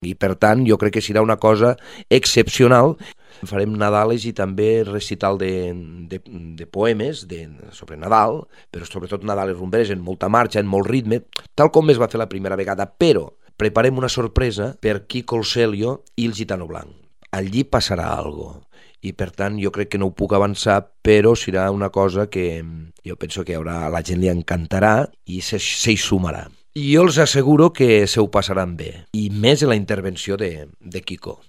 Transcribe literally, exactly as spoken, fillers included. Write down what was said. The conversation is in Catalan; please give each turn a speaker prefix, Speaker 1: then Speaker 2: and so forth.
Speaker 1: I per tant jo crec que serà una cosa excepcional. Farem Nadales i també recital de, de, de poemes de, sobre Nadal, però sobretot Nadales rumberes en molta marxa, en molt ritme, tal com es va fer la primera vegada, però preparem una sorpresa per Quico el Celio i el Gitano Blanc. Allí passarà alguna cosa. I per tant jo crec que no ho puc avançar, però serà una cosa que jo penso que haurà, a la gent li encantarà i se, se hi sumarà. I jo els asseguro que se ho passaran bé, i més en la intervenció de, de Quico.